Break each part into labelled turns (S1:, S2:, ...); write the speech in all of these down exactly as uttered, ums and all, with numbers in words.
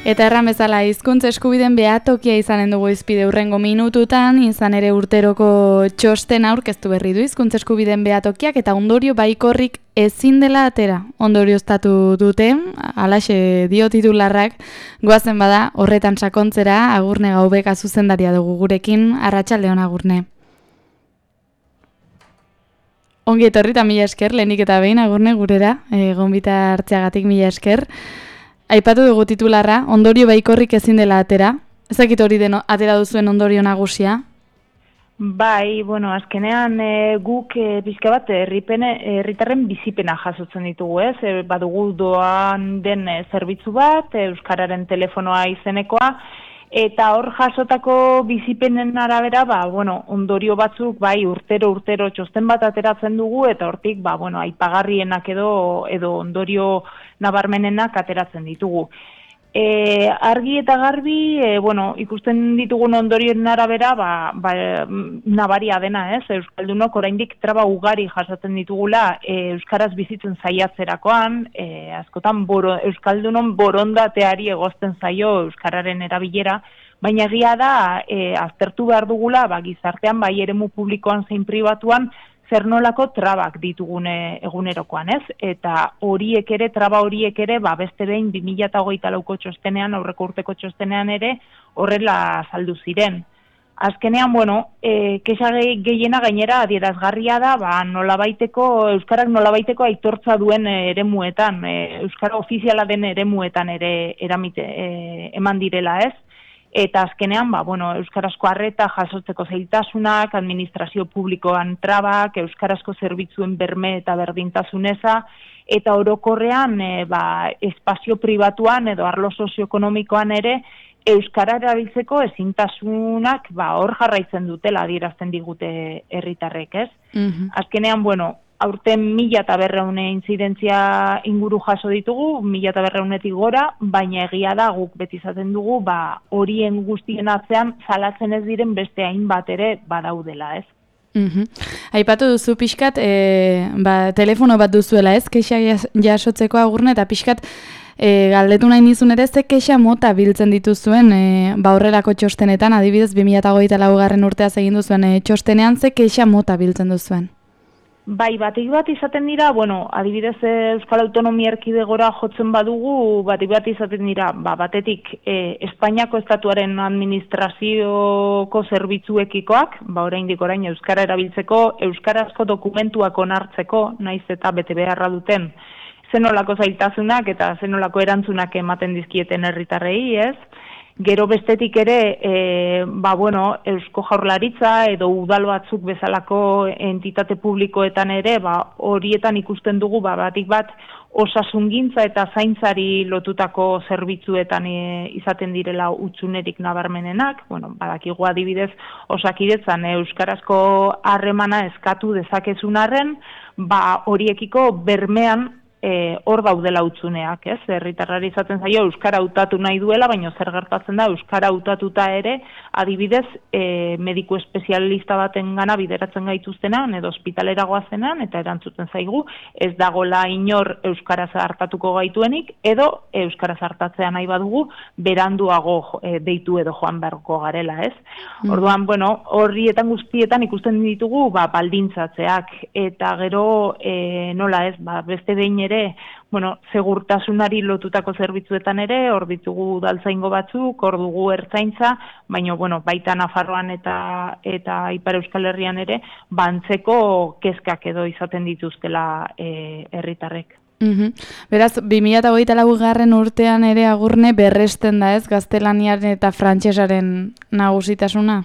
S1: Eta erran bezala, hizkuntza eskubideen behatokia izanen dugu izpide hurrengo minututan, izan ere urteroko txosten aurkeztu berri du hizkuntza eskubideen behatokiak eta ondorio baikorrik ezin dela atera. Ondorioztatu dute, halaxe dio titularrak, goazen bada horretan sakontzera, Agurne Gaubeka zuzendaria dugu gurekin, arratsaldeon Agurne. Ongi etorri eta mila esker, lehenik eta behin Agurne gurera, e, gonbita hartzeagatik mila esker. Aipatu dugu titularra, ondorio baikorrik ezin dela atera. Ezakit hori den atera duzuen ondorio nagusia?
S2: Bai, bueno, azkenean e, guk e, pixka bat herritarren bizipena jasotzen ditugu, ez? E, badugu doan den e, zerbitzu bat, e, Euskararen telefonoa izenekoa, eta hor jasotako bizipenen arabera, ba, bueno, ondorio batzuk, bai, urtero, urtero txosten bat ateratzen dugu, eta hortik, ba, bueno, aipagarrienak edo, edo ondorio nabarmenenak ateratzen ditugu. E, argi eta garbi, e, bueno, ikusten ditugun ondorioen arabera, ba, ba, nabaria dena, ez? Euskaldunok oraindik traba ugari jasaten ditugula e, euskaraz bizitzen saiatzerakoan, e, askotan boro, euskaldunon borondateari egozten zaio euskararen erabilera, baina egia da e, aztertu behar dugula, ba, gizartean bai eremu publikoan zein pribatuan, zer nolako trabak ditugune egunerokoan, ez? Eta horiek ere, traba horiek ere, ba, beste behin bi mila hogeita lauko txostenean, aurreko urteko txostenean ere, horrela saldu ziren. Azkenean, bueno, e, kexa gehiena gainera adierazgarria da, ba, nolabaiteko, euskarak nolabaiteko aitortza duen eremuetan, e, euskara ofiziala den eremuetan ere eramite, e, eman direla, ez? Eta azkenean, ba, bueno, euskarazko arreta jasotzeko zailtasunak, administrazio publikoan trabak, euskarazko zerbitzuen berme eta berdintasuneza, eta orokorrean, e, ba, espazio pribatuan edo arlo sozioekonomikoan ere, euskara erabiltzeko ezintasunak, ba, hor jarraitzen dutela adierazten digute herritarrek, ez? Mm-hmm. Azkenean, bueno, aurten mila eta berreune intzidentzia inguru jaso ditugu, mila eta berreunetik gora, baina egia da guk beti izaten dugu, ba, horien guztien atzean salatzen ez diren beste hainbat ere badaudela, ez?
S1: Mm-hmm. Aipatu duzu pixkat, e, ba, telefono bat duzuela, ez? Kexa jasotzeko Agurne, eta pixkat e, galdetu nahi nizun ere, ze kexa mota biltzen dituzuen, e, ba, horrelako txostenetan, adibidez, bi mila hogeita laugarren urteaz egin duzuen e, txostenean, ze kexa mota biltzen duzuen?
S2: Bai, batik bat izaten dira, bueno, adibidez Euskal Autonomia Erkidegora jotzen badugu, batik bat izaten dira, ba, batetik e, Espainiako estatuaren administrazioko zerbitzuekikoak, ba, oraindik orain euskara erabiltzeko, euskarazko dokumentuak onartzeko, naiz eta bete beharra duten, zenolako zailtasunak eta zenolako erantzunak ematen dizkieten herritarrei, ez? Gero bestetik ere, e, ba, bueno, Eusko Jaurlaritza edo udal batzuk bezalako entitate publikoetan ere, ba, horietan ikusten dugu, ba, batik bat, osasungintza eta zaintzari lotutako zerbitzuetan e, izaten direla utzunerik nabarmenenak, bueno, badakigu adibidez, Osakidetzan euskarazko harremana eskatu dezakezun arren, ba, horiekiko bermean E, hor daudela utzuneak, ez? Herritarrari izaten zaio euskara hautatu nahi duela, baina zer gertatzen da euskara hautatuta ere, adibidez, e, mediku espezialista baten gana bideratzen gaituztenan, edo ospitalera goazenan, eta erantzuten zaigu, ez dagola inor euskaraz hartatuko gaituenik, edo euskaraz hartatzea nahi badugu, beranduago e, deitu edo joan beharko garela, ez? Mm. Orduan, bueno, horrietan guztietan ikusten ditugu, ba, baldintzatzeak, eta gero, e, nola ez, ba, beste behin ere, bueno, segurtasunari lotutako zerbitzuetan ere, hor ditugu udaltzaingo batzuk, hor dugu ertzaintza, baina, bueno, baita Nafarroan eta eta Ipar Euskal Herrian ere, bantzeko kezkak edo izaten dituztela e, herritarrek.
S1: Mm-hmm. Beraz, bi mila hogeita laugarren urtean ere Agurne berresten da, ez, gaztelaniaren eta frantsesaren nagusitasuna?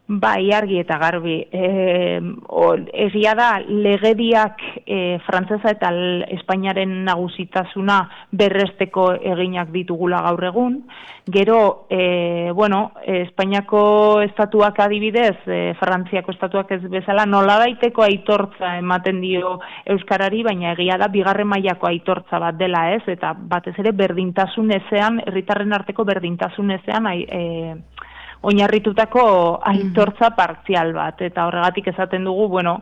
S2: Bai, argi eta garbi. E, o, egia da, legediak e, frantsesa eta Espainiaren nagusitasuna berresteko eginak ditugula gaur egun. Gero, e, bueno, Espainiako estatuak adibidez, e, Frantziako estatuak ez bezala, nolabaiteko aitortza ematen dio euskarari, baina egia da, bigarren mailako aitortza bat dela, ez? Eta batez ere berdintasun ezean, herritarren arteko berdintasun ezean, e, oinarritutako aitortza partzial bat, eta horregatik esaten dugu, bueno,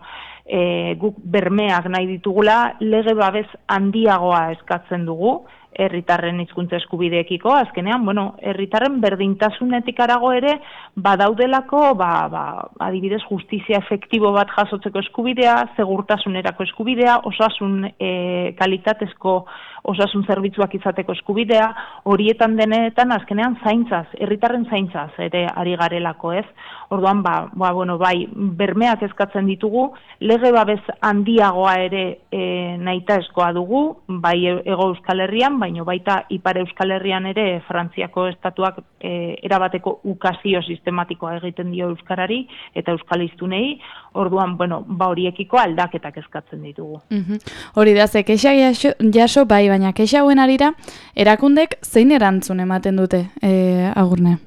S2: e, guk bermeak nahi ditugula, lege babes handiagoa eskatzen dugu, herritarren hizkuntza eskubideekiko, azkenean, bueno, herritarren berdintasunetik arago ere, badaudelako, ba, ba, adibidez, justizia efektibo bat jasotzeko eskubidea, segurtasunerako eskubidea, osasun e, kalitatezko osasun zerbitzuak izateko eskubidea, horietan denetan azkenean zaintzaz, herritarren zaintzaz ere ari garelako, ez? Orduan, ba, ba, bueno, bai, bermeak eskatzen ditugu, lege babes handiagoa ere e, nahitaezkoa dugu, bai Hego Euskal Herrian, baino baita Ipar Euskal Herrian ere Frantziako estatuak e, erabateko ukazio sistematikoa egiten dio euskarari eta euskaliztunei, orduan, bueno, ba horiekiko aldaketak eskatzen ditugu.
S1: Mm-hmm. Hori da, ze kexa jaso, jaso bai, baina kexa hauen arira, erakundek zein erantzun ematen dute, e, Agurne?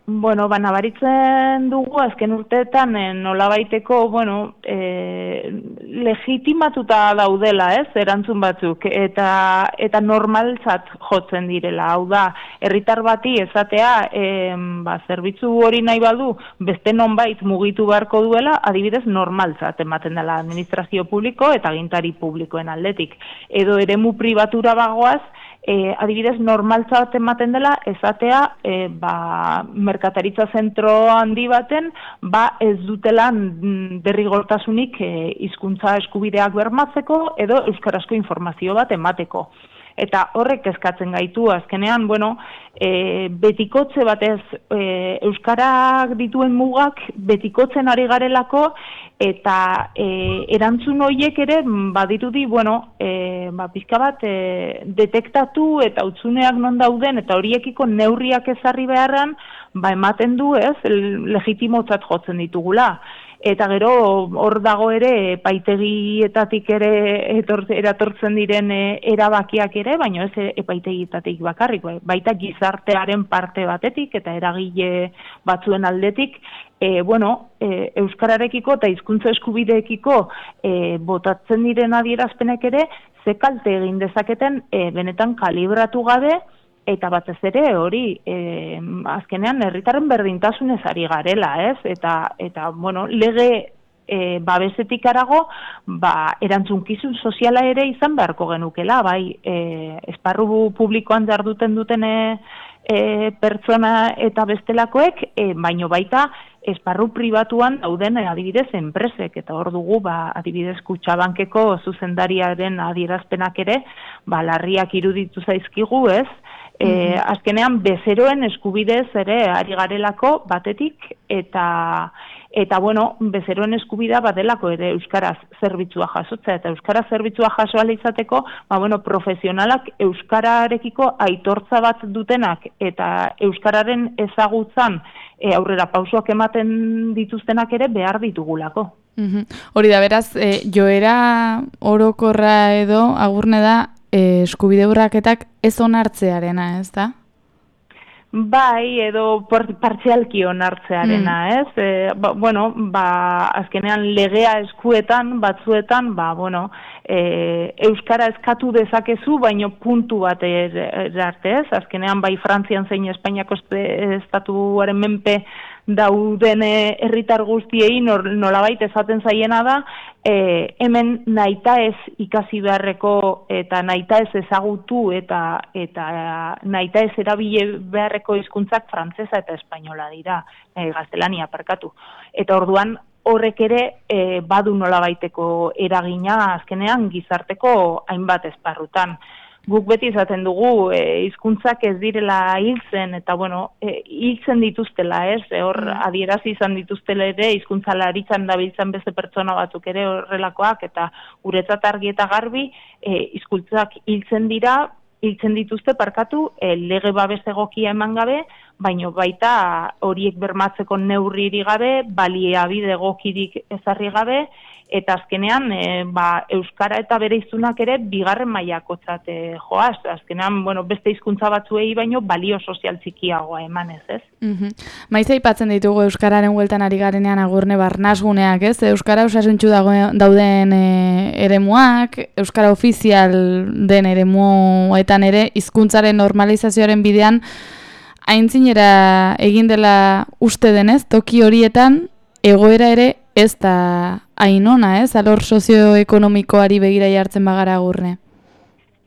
S2: Bueno, ba, nabaritzen dugu azken urteetan eh, nolabaiteko, bueno, eh, legitimatuta daudela, ez, erantzun batzuk, eta eta normaltzat jotzen direla. Hau da, herritar bati esatea, eh, ba, zerbitzu hori nahi badu, beste nonbait mugitu beharko duela, adibidez normaltzat ematen dela administrazio publiko eta agintari publikoen aldetik. Edo eremu pribatura bagoaz, E, adibidez, normaltzat ematen dela, esatea, e, ba, merkataritza zentro handi baten, ba, ez dutela derrigortasunik e, hizkuntza eskubideak bermatzeko edo euskarazko informazio bat emateko. Eta horrek eskatzen gaitu, azkenean, bueno, e, betikotze batez, e, euskarak dituen mugak betikotzen ari garelako, eta e, erantzun horiek ere badirudi, bueno, e, ba, pizka bat e, detektatu eta utzuneak non dauden, eta horiekiko neurriak ezarri beharran, ba, ematen du, ez, legitimotzat jotzen ditugula. Eta gero hor dago ere epaitegietatik ere etor, eratortzen diren e, erabakiak ere, baina ez epaitegietatik bakarrik, baita gizartearen parte batetik eta eragile batzuen aldetik, e, bueno, e, euskararekiko eta hizkuntza eskubideekiko e, botatzen diren adierazpenek ere, ze kalte egin dezaketen e, benetan kalibratu gabe, eta batez ere hori, e, azkenean herritarren berdintasunez ari garela, ez? Eta, eta bueno, lege e, babesetik arago, ba, erantzunkizun soziala ere izan beharko genukela, bai, e, esparru publikoan jarduten duten e, e, pertsona eta bestelakoek, e, baino baita esparru pribatuan dauden e, adibidez enpresek, eta hor dugu, ba, adibidez Kutxabankeko zuzendariaren adierazpenak ere, ba, larriak iruditu zaizkigu, ez? E, azkenean bezeroen eskubidez ere ari garelako batetik eta eta bueno, bezeroen eskubidea badelako ere euskaraz zerbitzua jasotzea eta euskaraz zerbitzua jaso ahal izateko, ba bueno, profesionalak euskararekiko aitortza bat dutenak eta euskararen ezagutzan e, aurrera pausoak ematen dituztenak ere behar ditugulako.
S1: Mm-hmm. Hori da, beraz, e, joera orokorra edo Agurne da E, eskubide urraketak ez onartzearena, ez da?
S2: Bai, edo partzialki onartzearena, mm. ez? E, ba, bueno, ba, azkenean legea eskuetan, batzuetan, ba, bueno, e, euskara eskatu dezakezu, baino puntu bat arte, ez? Azkenean, bai, Frantzian zein Espainiako estatuaren menpe dauden herritar guztiei nolabait esaten zaiena da, e, hemen nahita ez ikasi beharreko eta nahita ez ezagutu eta eta nahita ez erabile beharreko hizkuntzak frantsesa eta espainola dira, e, gaztelania parkatu. Eta orduan horrek ere e, badu nolabaiteko eragina azkenean gizarteko hainbat esparrutan. Guk beti izaten dugu e, hizkuntzak ez direla hiltzen eta bueno, e, hiltzen dituztela, ez? E, hor adierazi izan dituztela ere hizkuntzalaritzan dabiltzan beste pertsona batzuk ere horrelakoak eta guretzat argi eta garbi e, hizkuntzak hiltzen dira, hiltzen dituzte parkatu e, lege babes egokia eman gabe, baino baita horiek bermatzeko neurriri gabe, baliabide egokirik ezarri gabe, eta azkenean e, ba, euskara eta bere hiztunak ere bigarren mailakotzat e, joaz. Azkenean, bueno, beste hizkuntza batzuei baino balio sozial txikiagoa emanez, ez?
S1: Mm-hmm. Maiz aipatzen ditugu euskararen bueltan ari garenean Agurne barnasguneak, ez? Euskara osasuntsu dauden e, eremuak, euskara ofizial den eremuetan ere hizkuntzaren normalizazioaren bidean aintzinera egin dela uste denez, toki horietan egoera ere ez da hain ona, ez? Alor sozioekonomikoari begira jartzen bagara Agurne.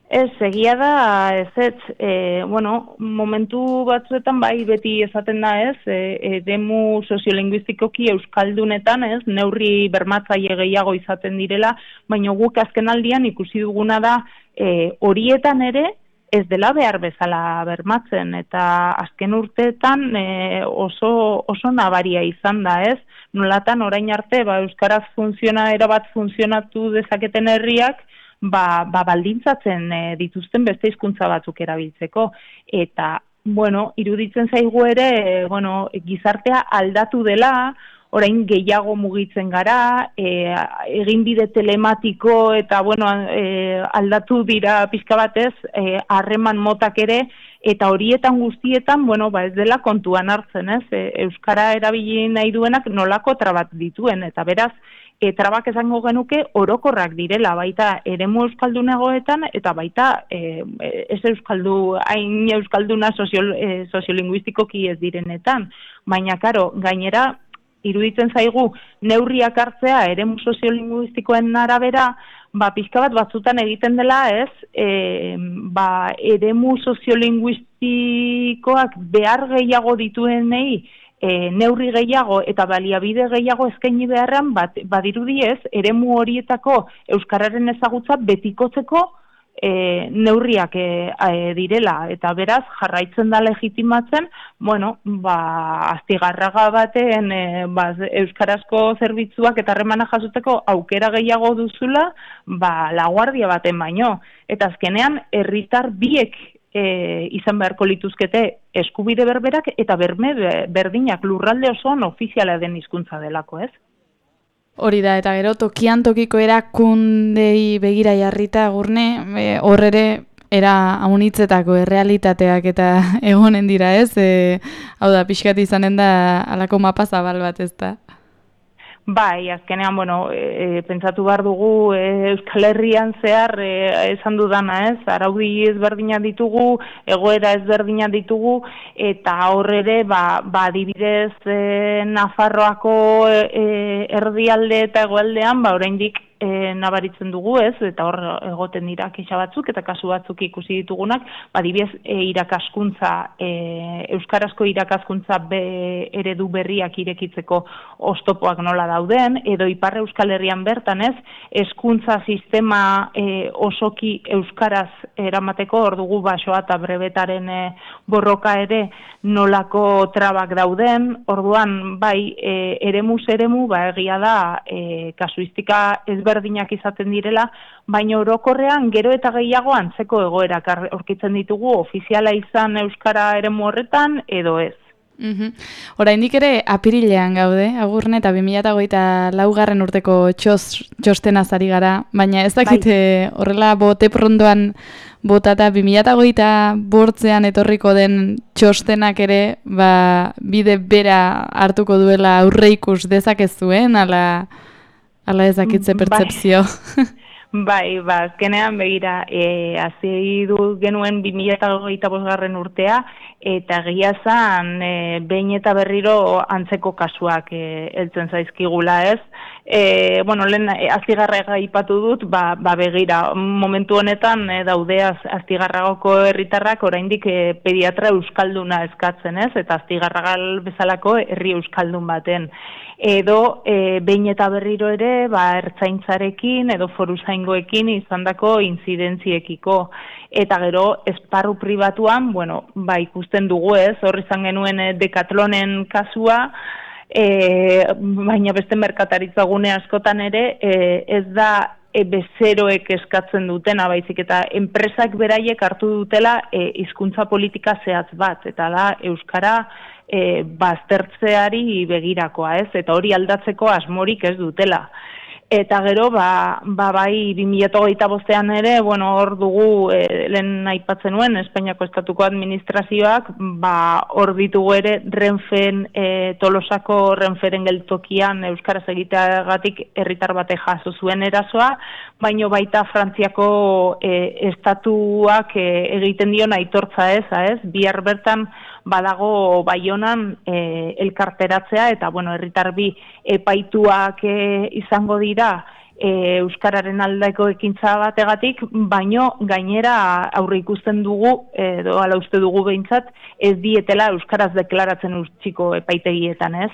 S2: Ez, egia da, ez ez, e, bueno, momentu batzuetan bai beti esaten da ez, e, eremu soziolinguistikoki euskaldunetan ez, neurri bermatzaile gehiago izaten direla, baina guk azken aldian ikusi duguna da e, horietan ere ez dela behar bezala bermatzen, eta azken urteetan e, oso, oso nabaria izan da ez, nolatan orain arte ba, euskaraz funziona, erabat funtzionatu dezaketen herriak, Ba, ba baldintzatzen e, dituzten beste hizkuntza batzuk erabiltzeko. Eta, bueno, iruditzen zaigu ere, e, bueno, gizartea aldatu dela, orain gehiago mugitzen gara, e, eginbide telematiko eta, bueno, e, aldatu dira pixka batez, harreman e, motak ere, eta horietan guztietan, bueno, ba ez dela kontuan hartzen, ez? E, Euskara erabili nahi duenak nolako trabat dituen, eta beraz, E, trabak esango genuke orokorrak direla, baita eremu euskaldunagoetan eta baita e, ez euskaldu, hain euskalduna sozio, e, soziolinguistikoki ez direnetan. Baina, karo, gainera, iruditzen zaigu neurriak hartzea eremu soziolinguistikoen arabera, ba, pixka bat batzutan egiten dela ez, e, ba, eremu soziolinguistikoak behar gehiago dituenei, E, neurri gehiago eta baliabide gehiago eskaini beharran bat, badirudi ez, eremu horietako euskararen ezagutza betikotzeko e, neurriak e, e, direla, eta beraz jarraitzen da legitimatzen, bueno, ba, astigarraga baten e, ba, euskarazko zerbitzuak eta harremana jasoteko aukera gehiago duzula, ba, laguardia baten baino, eta azkenean herritar biek E, izan beharko lituzkete eskubide berberak eta berme berdinak lurralde osoan ofiziala den hizkuntza delako, ez?
S1: Hori da, eta gero tokian tokiko erakundei begira jarrita Gurne, hor ere era haunitzetako errealitateak eta egonen dira, ez? E, hau da, pixkat izanen da alako mapa zabal bat, ez da?
S2: Bai, azkenean, bueno, e, pentsatu behar dugu e, Euskal Herrian zehar e, esan dudana ez, araudi ezberdinak ditugu, egoera ezberdinak ditugu, eta hor ere, ba, ba adibidez e, Nafarroako e, erdialde eta egoaldean, ba oraindik E, nabaritzen dugu ez, eta hor egoten dira kexa batzuk eta kasu batzuk ikusi ditugunak, adibidez e, irakaskuntza, e, euskarazko irakaskuntza be, eredu berriak irekitzeko oztopoak nola dauden, edo Ipar Euskal Herrian bertan ez, hezkuntza sistema e, osoki euskaraz eramateko, hor dugu basoa eta brebetaren e, borroka ere nolako trabak dauden, orduan bai e, eremuz eremu, ba egia da e, kasuistika ez berdinak izaten direla, baina orokorrean gero eta gehiago antzeko egoerak aurkitzen ditugu ofiziala izan euskara eremu horretan edo ez.
S1: Mm-hmm. Oraindik ere apirilean gaude, Agurne, eta bi mila hogeita laugarren urteko txos, txostenaz ari gara, baina ez dakite bai. Horrela bote prondoan botata bi mila hogeita bortzean etorriko den txostenak ere ba, bide bera hartuko duela aurreikus dezakezuen, ala... Ala ezakitze pertzepzio.
S2: Bai, bai, ba, azkenean begira, e, hasi du genuen bi mila hogeita bosgarren urtea, eta egia zan, e, behin eta berriro antzeko kasuak e, heltzen zaizkigula ez. E, bueno, lehen Astigarraga aipatu dut, ba, ba begira, momentu honetan e, daude Astigarragako herritarrak oraindik e, pediatra euskalduna eskatzen ez, eta Astigarragal bezalako herri euskaldun baten. Edo e, behin eta berriro ere ba, ertzaintzarekin edo foruzaingoekin izandako inzidentziekiko. Eta gero esparru pribatuan, bueno, ba, ikusten dugu ez, hor izan genuen e, Decatlonen kasua, e, baina beste merkataritza gune askotan ere e, ez da e, bezeroek eskatzen dutena, baizik eta enpresak beraiek hartu dutela e, hizkuntza politika zehatz bat, eta da euskara E, baztertzeari begirakoa ez, eta hori aldatzeko asmorik ez dutela. Eta gero, ba, ba bai, bi mila hogeita bostean ere, bueno, hor dugu, e, lehen aipatzen nuen, Espainiako Estatuko Administrazioak, ba, hor ditugu ere, Renfen, e, Tolosako Renferen geltokian euskaraz egiteagatik herritar batek jaso zuen erasoa, baino baita Frantziako e, estatuak e, egiten dion aitortza ez, ez, bihar bertan, badago Baionan e, elkarteratzea eta bueno, herritar bi epaituak e, izango dira e, euskararen aldeko ekintza bategatik, baino gainera aurre ikusten dugu, edo ala uste dugu behintzat, ez dietela euskaraz deklaratzen utziko epaitegietan, ez?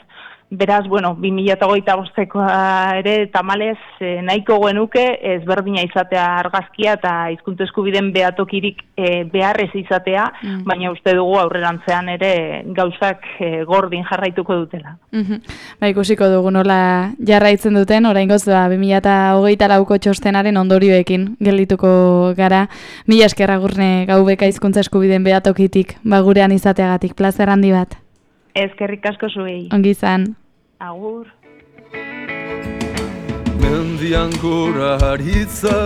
S2: Beraz, bueno, bi mila hogeita bostekoa ere tamalez eh, nahiko genuke ezberdina izatea argazkia eta hizkuntza eskubideen behatokirik eh, beharrez izatea, mm. baina uste dugu aurrerantzean ere gauzak eh, gordin jarraituko dutela.
S1: Mm-hmm. Ba, ikusiko dugu nola jarraitzen duten, oraingoz ba, bi mila hogeita lauko txostenaren ondorioekin geldituko gara. Mila esker Agurne Gaubeka hizkuntza eskubideen behatokitik ba, gurean izateagatik, plazer handi bat.
S2: Eskerrik asko zuei.
S1: Ongi izan.
S2: Agur.
S3: Mendian gora haritza